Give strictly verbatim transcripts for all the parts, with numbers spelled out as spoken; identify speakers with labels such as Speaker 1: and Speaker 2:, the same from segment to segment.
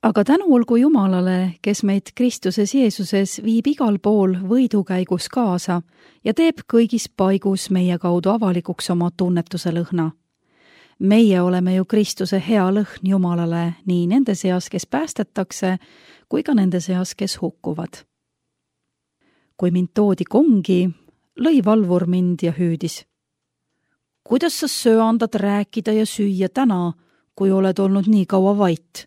Speaker 1: Aga tänu olgu Jumalale, kes meid Kristuses Jeesuses viib igal pool võidukäigus kaasa ja teeb kõigis paigus meie kaudu avalikuks oma tunnetuse lõhna. Meie oleme ju Kristuse hea lõhn Jumalale nii nende seas, kes päästetakse, kui ka nende seas, kes hukkuvad. Kui mind toodi kongi, lõi valvur mind ja hüüdis. Kuidas sa söandad rääkida ja süüa täna, kui oled olnud nii kaua vait?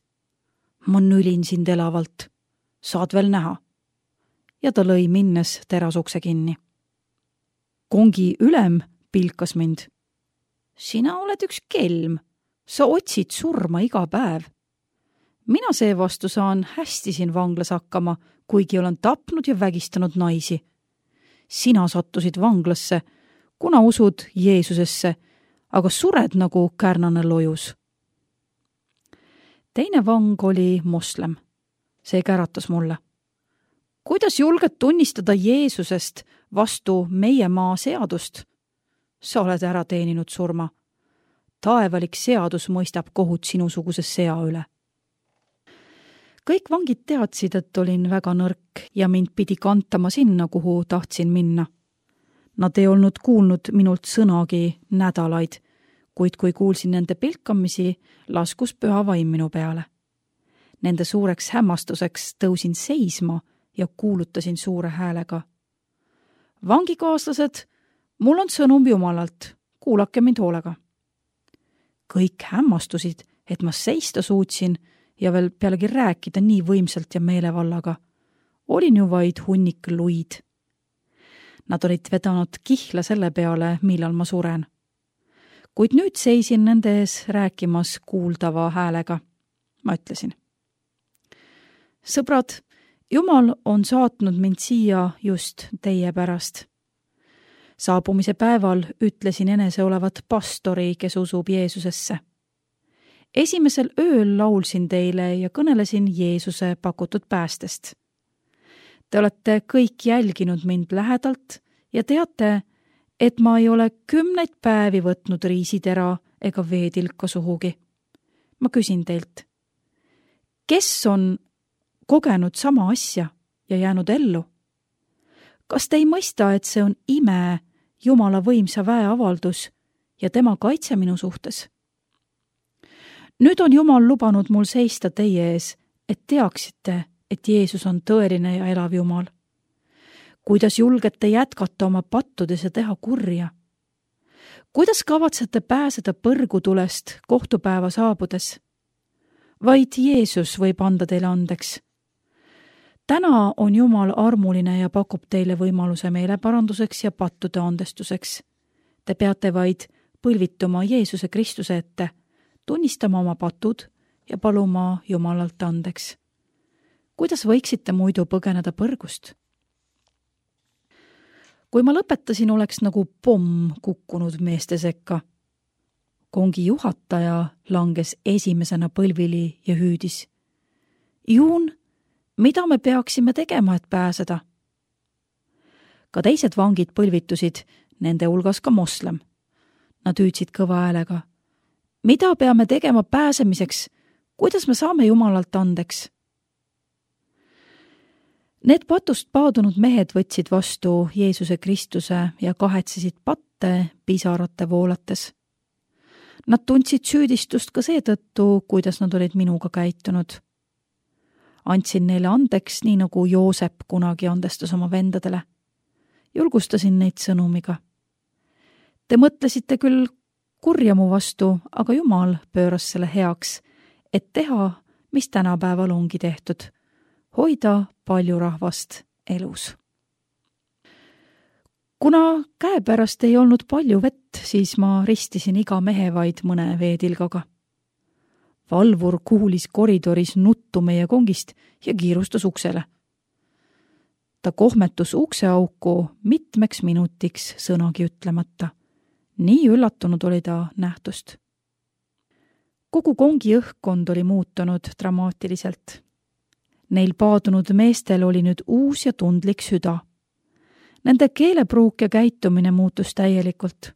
Speaker 1: Ma nülin sind elavalt. Saad veel näha. Ja ta lõi minnes terasukse kinni. Kongi ülem pilkas mind. Sina oled üks kelm. Sa otsid surma iga päev. Mina seevastu saan hästi siin vanglas hakkama, kuigi olen tapnud ja vägistanud naisi. Sina sattusid vanglasse, kuna usud Jeesusesse, aga sured nagu kärnane lojus. Teine vang oli moslem. See käratas mulle. Kuidas julged tunnistada Jeesusest vastu meie maa seadust? Sa oled ära teeninud surma. Taevalik seadus mõistab kohut sinusuguse sea üle. Kõik vangid teadsid, et olin väga nõrk ja mind pidi kantama sinna, kuhu tahtsin minna. Nad ei olnud kuulnud minult sõnagi nädalaid, kuid kui kuulsin nende pilkamisi, laskus püha vaim minu peale. Nende suureks hämmastuseks tõusin seisma ja kuulutasin suure häälega. Vangikaaslased, mul on sõnum Jumalalt, kuulake mind hoolega. Kõik hämmastusid, et ma seista suutsin ja veel pealegi rääkida nii võimsalt ja meelevallaga. Olin ju vaid hunnik luid. Nad olid vedanud kihla selle peale, millal ma suren. Kuid nüüd seisin nende ees rääkimas kuuldava häälega. Ma ütlesin. Sõbrad, Jumal on saatnud mind siia just teie pärast. Saabumise päeval ütlesin enese olevat pastori, kes usub Jeesusesse. Esimesel ööl laulsin teile ja kõnelesin Jeesuse pakutud päästest. Te olete kõik jälginud mind lähedalt ja teate, et ma ei ole kümneid päevi võtnud riisitera ega veetilka suhugi. Ma küsin teilt, kes on kogenud sama asja ja jäänud ellu? Kas te ei mõista, et see on ime Jumala võimsa väe avaldus ja tema kaitse minu suhtes? Nüüd on Jumal lubanud mul seista teie ees, et teaksite, et Jeesus on tõeline ja elav Jumal. Kuidas julgete jätkata oma pattudes ja teha kurja? Kuidas kavatsete pääseda põrgutulest kohtupäeva saabudes? Vaid Jeesus võib anda teile andeks. Täna on Jumal armuline ja pakub teile võimaluse meeleparanduseks ja pattude andestuseks. Te peate vaid põlvituma Jeesuse Kristuse ette, tunnistama oma patud ja paluma Jumalalt andeks. Kuidas võiksite muidu põgeneda põrgust? Kui ma lõpetasin, oleks nagu pomm kukkunud meeste sekka. Kongi juhataja langes esimesena põlvili ja hüüdis. Juun, mida me peaksime tegema, et pääseda? Ka teised vangid põlvitusid, nende hulgas ka moslem. Nad hüüdsid kõva häälega. Mida peame tegema pääsemiseks? Kuidas me saame Jumalalt andeks? Need patust paadunud mehed võtsid vastu Jeesuse Kristuse ja kahetsesid patte pisarate voolates. Nad tundsid süüdistust ka seetõttu, kuidas nad olid minuga käitunud. Andsin neile andeks, nii nagu Joosep kunagi andestas oma vendadele. Julgustasin neid sõnumiga. Te mõtlesite küll kurja mu vastu, aga Jumal pööras selle heaks, et teha, mis tänapäeval ongi tehtud. Hoida palju rahvast elus. Kuna käepärast ei olnud palju vett, siis ma ristisin iga mehe vaid mõne veetilgaga. Valvur kuulis koridoris nuttu meie kongist ja kiirustas uksele. Ta kohmetus ukseauku mitmeks minutiks sõnagi ütlemata. Nii üllatunud oli ta nähtust. Kogu kongi õhkkond oli muutunud dramaatiliselt. Neil paadunud meestel oli nüüd uus ja tundlik süda. Nende keelepruuk ja käitumine muutus täielikult.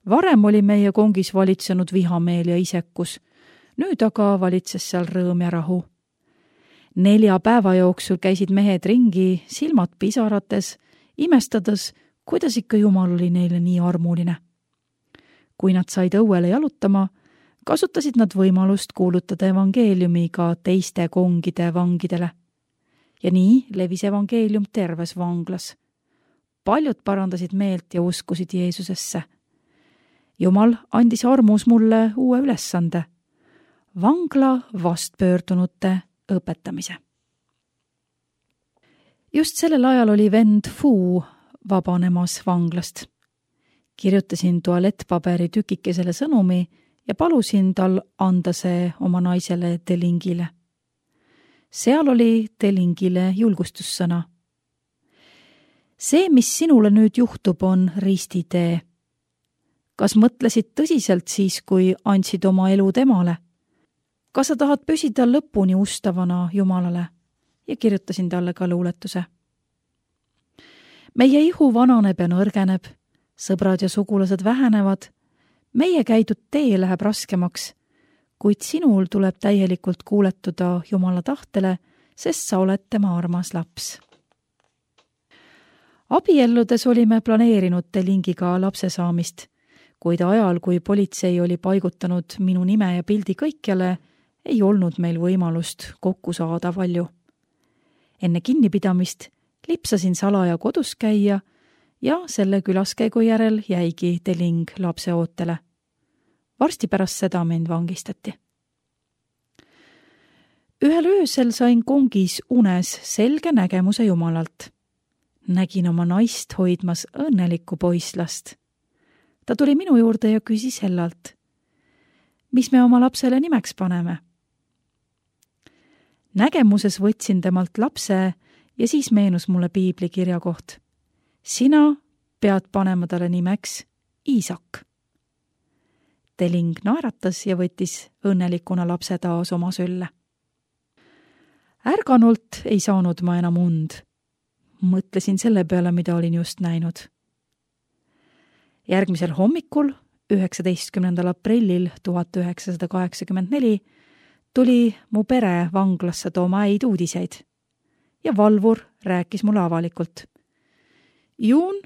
Speaker 1: Varem oli meie kongis valitsenud vihameel ja isekus. nüüd aga valitses seal rõõm ja rahu. Nelja päeva jooksul käisid mehed ringi, silmad pisarates, imestades, kuidas ikka Jumal oli neile nii armuline. Kui nad said õuele jalutama, kasutasid nad võimalust kuulutada evangeeliumi ka teiste kongide vangidele. Ja nii levis evangeelium terves vanglas. Paljud parandasid meelt ja uskusid Jeesusesse. Jumal andis armus mulle uue ülesande, vangla vastpöördunute õpetamise. Just sellel ajal oli vend Fu vabanemas vanglast. Kirjutasin tualettpaberi tükikesele sõnumi ja palusin tal anda see oma naisele Delingile. Seal oli Delingile julgustussõna. See, mis sinule nüüd juhtub, on ristitee. Kas mõtlesid tõsiselt siis, kui andsid oma elu temale? Kas sa tahad püsida lõpuni ustavana Jumalale? Ja kirjutasin talle ka luuletuse. Meie ihu vananeb ja nõrgeneb, sõbrad ja sugulased vähenevad, meie käidud tee läheb raskemaks, kuid sinul tuleb täielikult kuuletuda Jumala tahtele, sest sa oled tema armas laps. Abielludes olime planeerinud Delingiga lapse saamist, kuid ajal, kui politsei oli paigutanud minu nime ja pildi kõikjale, ei olnud meil võimalust kokku saada palju. Enne kinnipidamist lipsasin salaja kodus käia ja selle külaskäigu järel jäigi Deling lapse ootele. Varsti pärast seda mind vangistati. Ühel öösel sain kongis unes selge nägemuse Jumalalt. Nägin oma naist hoidmas õnnelikku poislast. Ta tuli minu juurde ja küsis hellalt, mis me oma lapsele nimeks paneme. Nägemuses võtsin temalt lapse ja siis meenus mulle piibli kirja koht. Sina pead panema talle nimeks Iisak. Deling naeratas ja võttis õnnelikuna lapse taas oma sülle. Ärganult ei saanud ma enam und. Mõtlesin selle peale, mida olin just näinud. Järgmisel hommikul, üheksateistkümnendal aprillil tuhat üheksasada kaheksakümmend neli, tuli mu pere vanglasse tooma häid uudiseid ja valvur rääkis mulle avalikult. Juun,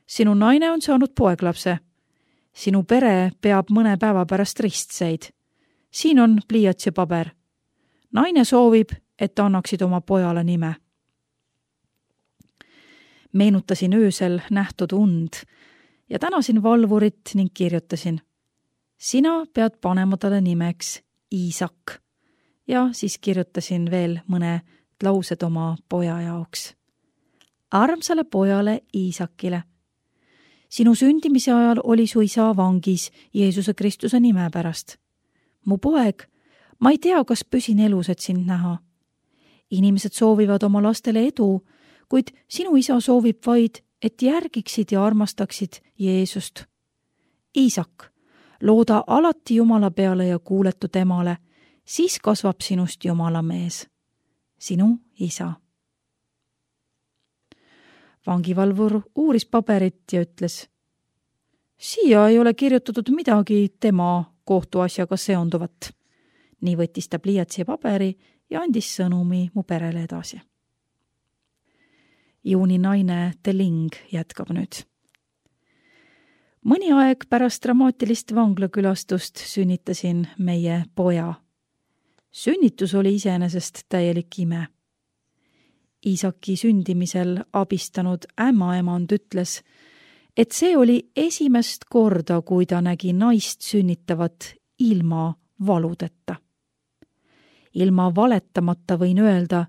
Speaker 1: sinu naine on saanud poeglapse. Sinu pere peab mõne päeva pärast ristseid. Siin on pliiats ja paber. Naine soovib, et annaksid oma pojale nime. Meenutasin öösel nähtud und ja tänasin valvurit ning kirjutasin. Sina pead panema talle nimeks Iisak. Ja siis kirjutasin veel mõne laused oma poja jaoks. Armsale pojale Iisakile. Sinu sündimise ajal oli su isa vangis Jeesuse Kristuse nime pärast. Mu poeg, ma ei tea, kas püsin elus, et sind näha. Inimesed soovivad oma lastele edu, kuid sinu isa soovib vaid, et järgiksid ja armastaksid Jeesust. Iisak, looda alati Jumala peale ja kuuletu temale, siis kasvab sinust Jumala mees. Sinu isa. Vangivalvur uuris paberit ja ütles, siia ei ole kirjutatud midagi tema kohtuasjaga seonduvat. Nii võttis ta pliiatsi ja paberi ja andis sõnumi mu perele edasi. Juuni naine Deling jätkab nüüd. Mõni aeg pärast dramaatilist vanglakülastust sünnitasin meie poja. Sünnitus oli iseenesest täielik ime. Iisaki sündimisel abistanud ämmaemand ütles, et see oli esimest korda, kui ta nägi naist sünnitavat ilma valudeta. Ilma valetamata võin öelda,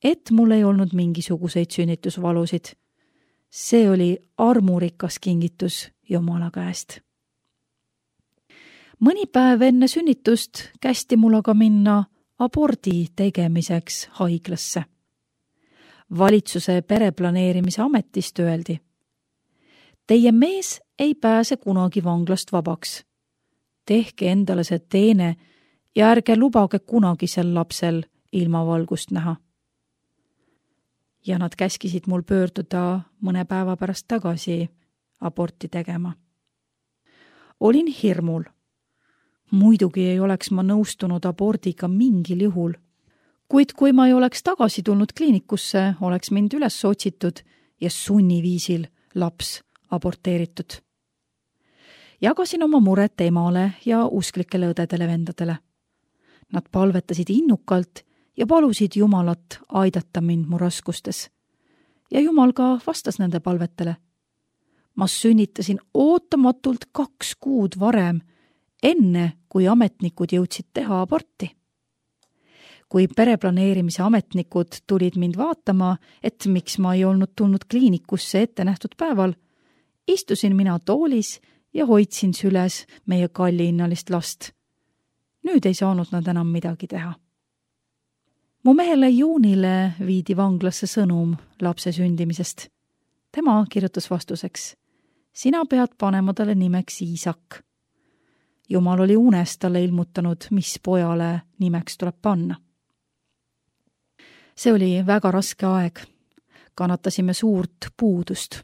Speaker 1: et mul ei olnud mingisuguseid sünnitusvalusid. See oli armurikas kingitus Jumala käest. Mõni päev enne sünnitust kästi mul aga minna abordi tegemiseks haiglasse. Valitsuse pereplaneerimise ametist öeldi. Teie mees ei pääse kunagi vanglast vabaks. Tehke endale see teene ja ärge lubage kunagi sel lapsel ilmavalgust näha. Ja nad käskisid mul pöörduda mõne päeva pärast tagasi aborti tegema. Olin hirmul. Muidugi ei oleks ma nõustunud abordiga mingil juhul. Kuid kui ma ei oleks tagasi tulnud kliinikusse, oleks mind üles otsitud ja sunniviisil laps aborteeritud. Jagasin oma muret emale ja usklikele õdedele-vendadele. Nad palvetasid innukalt ja palusid Jumalat aidata mind mu raskustes. Ja Jumal ka vastas nende palvetele. Ma sünnitasin ootamatult kaks kuud varem, enne kui ametnikud jõudsid teha aborti. Kui pereplaneerimise ametnikud tulid mind vaatama, et miks ma ei olnud tulnud kliinikusse ette nähtud päeval, istusin mina toolis ja hoidsin süles meie kalliinnalist last. Nüüd ei saanud nad enam midagi teha. Mu mehele Juunile viidi vanglasse sõnum lapse sündimisest. Tema kirjutas vastuseks: sina pead panema talle nimeks Iisak. Jumal oli unes talle ilmutanud, mis pojale nimeks tuleb panna. See oli väga raske aeg. Kannatasime suurt puudust.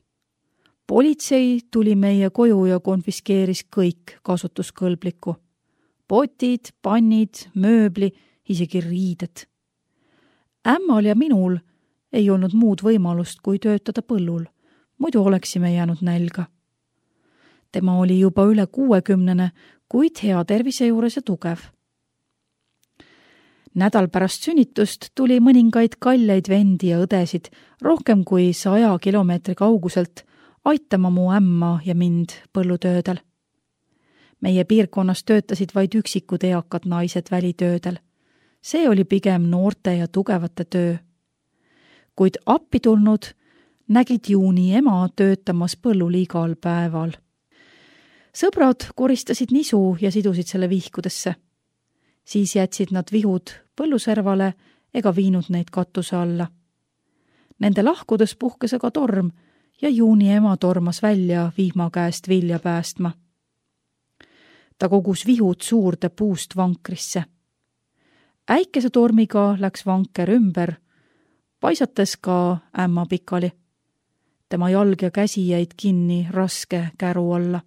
Speaker 1: Politsei tuli meie koju ja konfiskeeris kõik kasutuskõlblikku. Potid, pannid, mööbli, isegi riided. Ämmal ja minul ei olnud muud võimalust kui töötada põllul, muidu oleksime jäänud nälga. Tema oli juba üle kuuekümnene, kuid hea tervise juures ja tugev. Nädal pärast sünnitust tuli mõningaid kalleid vendi ja õdesid rohkem kui saja kilomeetri kauguselt aitama mu ämma ja mind põllutöödel. Meie piirkonnas töötasid vaid üksikud eakad naised välitöödel. See oli pigem noorte ja tugevate töö. Kuid appi tulnud nägid Juuni ema töötamas põllul igal päeval. Sõbrad koristasid nisu ja sidusid selle vihkudesse. Siis jätsid nad vihud põlluservale ega viinud neid katuse alla. Nende lahkudes puhkes aga torm ja Juuni ema tormas välja vihma käest vilja päästma. Ta kogus vihud suurde puust vankrisse. Äikese tormiga läks vanker ümber, paisates ka ämma pikali. Tema jalg ja käsi jäid kinni raske käru alla.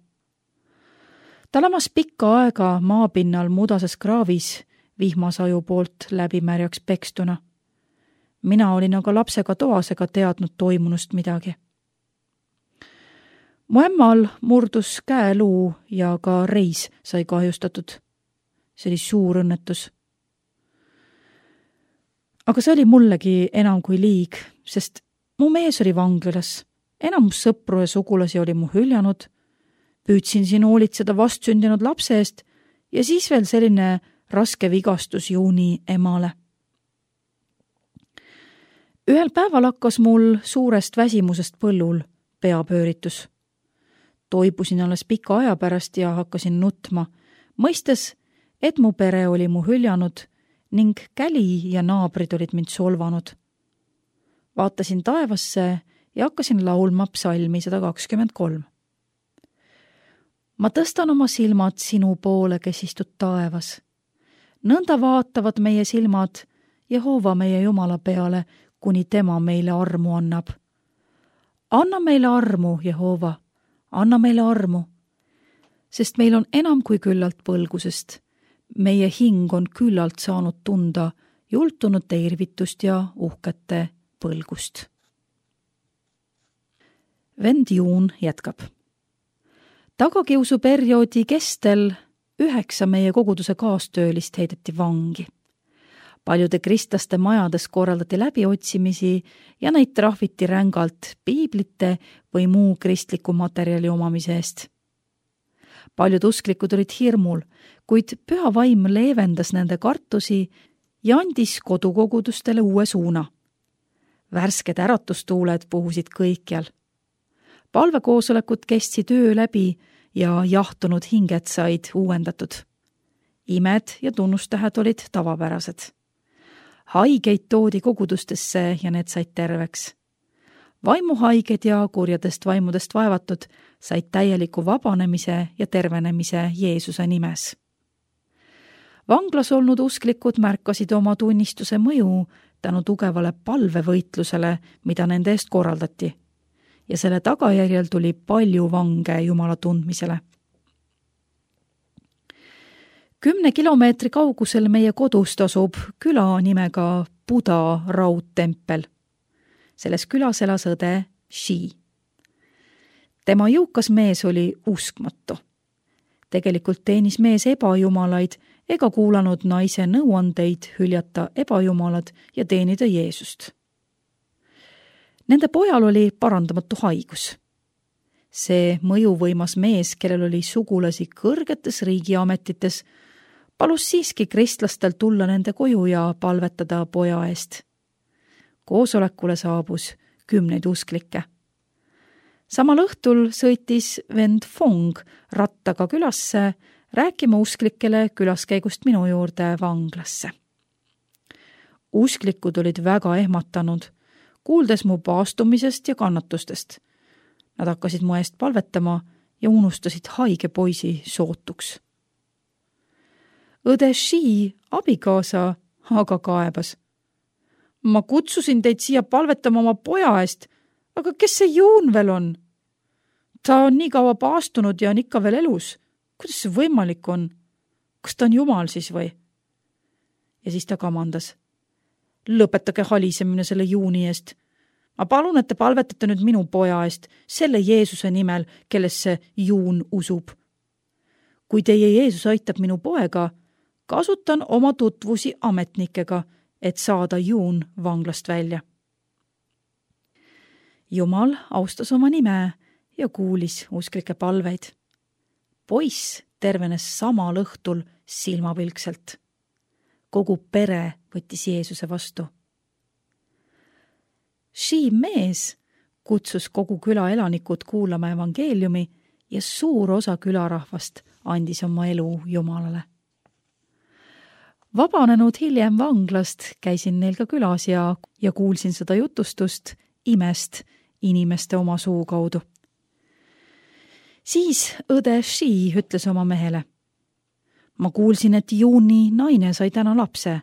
Speaker 1: Ta lamas pikka aega maapinnal mudases kraavis vihmasaju poolt läbimärjaks pekstuna. Mina olin aga lapsega toas ega teadnud toimunust midagi. Mu ämmal murdus käeluu ja ka reis sai kahjustatud. See oli suur õnnetus. Aga see oli mullegi enam kui liig, sest mu mees oli vanglas. Enamus sõpru ja sugulasi oli mu hüljanud. Püüdsin siin hoolitseda vastsündinud lapse eest ja siis veel selline raske vigastus Juuni emale. Ühel päeval hakkas mul suurest väsimusest põllul peapööritus. Toibusin alles pika aja pärast ja hakkasin nutma, mõistes, et mu pere oli mu hüljanud ning käli ja naabrid olid mind solvanud. Vaatasin taevasse ja hakkasin laulma psalmi sada kakskümmend kolm. Ma tõstan oma silmad sinu poole, kes istud taevas. Nõnda vaatavad meie silmad Jehova meie Jumala peale, kuni tema meile armu annab. Anna meile armu, Jehova, anna meile armu, sest meil on enam kui küllalt põlgusest. Meie hing on küllalt saanud tunda jultunute irvitust ja uhkete põlgust. Vend Juun jätkab. Tagakiusuperioodi kestel üheksa meie koguduse kaastöölist heideti vangi. Paljude kristlaste majades korraldati läbiotsimisi ja neid trahviti rängalt piiblite või muu kristliku materjali omamise eest. Paljud usklikud olid hirmul, kuid püha vaim leevendas nende kartusi ja andis kodukogudustele uue suuna. Värsked äratustuuled puhusid kõikjal. Palvekoosolekud kestsid öö läbi ja jahtunud hinged said uuendatud. Imed ja tunnustähed olid tavapärased. Haigeid toodi kogudustesse ja need said terveks. Vaimuhaiged ja kurjadest vaimudest vaevatud said täieliku vabanemise ja tervenemise Jeesuse nimes. Vanglas olnud usklikud märkasid oma tunnistuse mõju tänu tugevale palvevõitlusele, mida nende eest korraldati. Ja selle tagajärjel tuli palju vange Jumala tundmisele. kümne kilomeetri kaugusel meie kodust asub küla nimega Buda raudtempel. Selles külas elas õde Shi. Tema jõukas mees oli uskmatu. Tegelikult teenis mees ebajumalaid ega kuulanud naise nõuandeid hüljata ebajumalad ja teenida Jeesust. Nende pojal oli parandamatu haigus. See mõjuvõimas mees, kellel oli sugulasi kõrgetes riigiametites, palus siiski kristlastel tulla nende koju ja palvetada poja eest. Koosolekule saabus kümneid usklikke. Samal õhtul sõitis vend Fong rattaga külasse rääkima usklikele külaskäigust minu juurde vanglasse. Usklikud olid väga ehmatanud, kuuldes mu paastumisest ja kannatustest. Nad hakkasid mu eest palvetama ja unustasid haige poisi sootuks. Õde Shi abikaasa aga kaebas. Ma kutsusin teid siia palvetama oma poja eest, aga kes see Juun veel on? Ta on nii kaua paastunud ja on ikka veel elus. Kuidas see võimalik on? Kas ta on Jumal siis või? Ja siis ta kamandas. Lõpetage halisemine selle Juuni eest. Ma palun, et te palvetate nüüd minu poja eest, selle Jeesuse nimel, kellesse Juun usub. Kui teie Jeesus aitab minu poega, kasutan oma tutvusi ametnikega, et saada Juun vanglast välja. Jumal austas oma nime ja kuulis usklike palveid. Poiss tervenes samal õhtul silmapilkselt. Kogu pere võttis Jeesuse vastu. Shi mees kutsus kogu küla elanikud kuulama evangeeliumi ja suur osa külarahvast andis oma elu Jumalale. Vabanenud hiljem vanglast käisin neil ka külas ja, ja kuulsin seda jutustust imest inimeste oma suu kaudu. Siis õde Shi ütles oma mehele. Ma kuulsin, et Juuni naine sai täna lapse.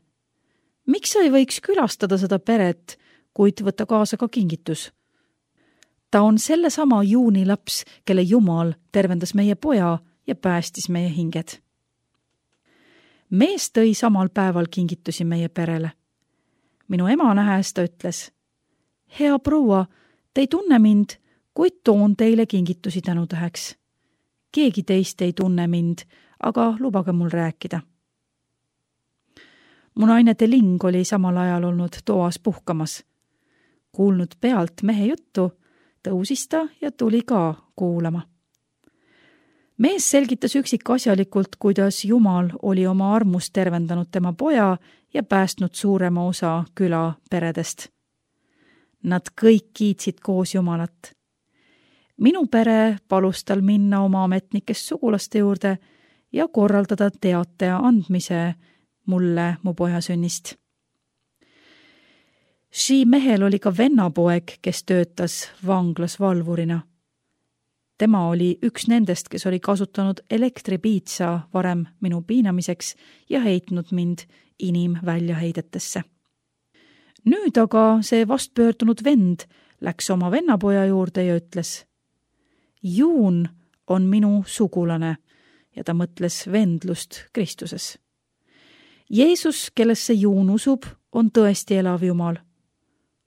Speaker 1: Miks sa ei võiks külastada seda peret, kuid võtta kaasa ka kingitus? Ta on sellesama Juuni laps, kelle Jumal tervendas meie poja ja päästis meie hinged. Mees tõi samal päeval kingitusi meie perele. Minu ema nähes ta ütles, hea proua, te ei tunne mind, kuid toon teile kingitusi tänutäheks. Keegi teist ei tunne mind, aga lubage mul rääkida. Mu naine Teling oli samal ajal olnud toas puhkamas. Kuulnud pealt mehe juttu, tõusis ta ja tuli ka kuulama. Mees selgitas üksikasjalikult, kuidas Jumal oli oma armust tervendanud tema poja ja päästnud suurema osa küla peredest. Nad kõik kiitsid koos Jumalat. Minu pere palus tal minna oma ametnikest sugulaste juurde ja korraldada teate andmise mulle mu poja sünnist. Shi mehel oli ka vennapoeg, kes töötas vanglas valvurina. Tema oli üks nendest, kes oli kasutanud elektripiitsa varem minu piinamiseks ja heitnud mind inimväljaheidetesse. Nüüd aga see vastpöördunud vend läks oma vennapoja juurde ja ütles, Juun on minu sugulane ja ta mõtles vendlust Kristuses. Jeesus, kellesse Juun usub, on tõesti elav Jumal.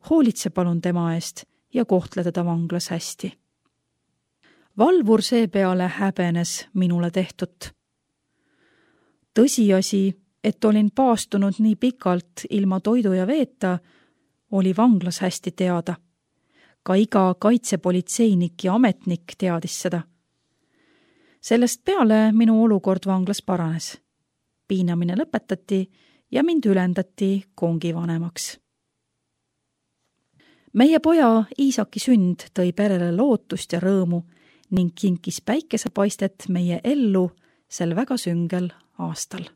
Speaker 1: Hoolitse palun tema eest ja kohtle teda vanglas hästi. Valvur seepeale häbenes minule tehtut. Tõsiasi, et olin paastunud nii pikalt ilma toidu ja veeta, oli vanglas hästi teada. Ka iga kaitsepolitseinik ja ametnik teadis seda. Sellest peale minu olukord vanglas paranes. Piinamine lõpetati ja mind ülendati kongivanemaks. Meie poja Iisaki sünd tõi perele lootust ja rõõmu ning kinkis päikesepaistet meie ellu sel väga süngel aastal.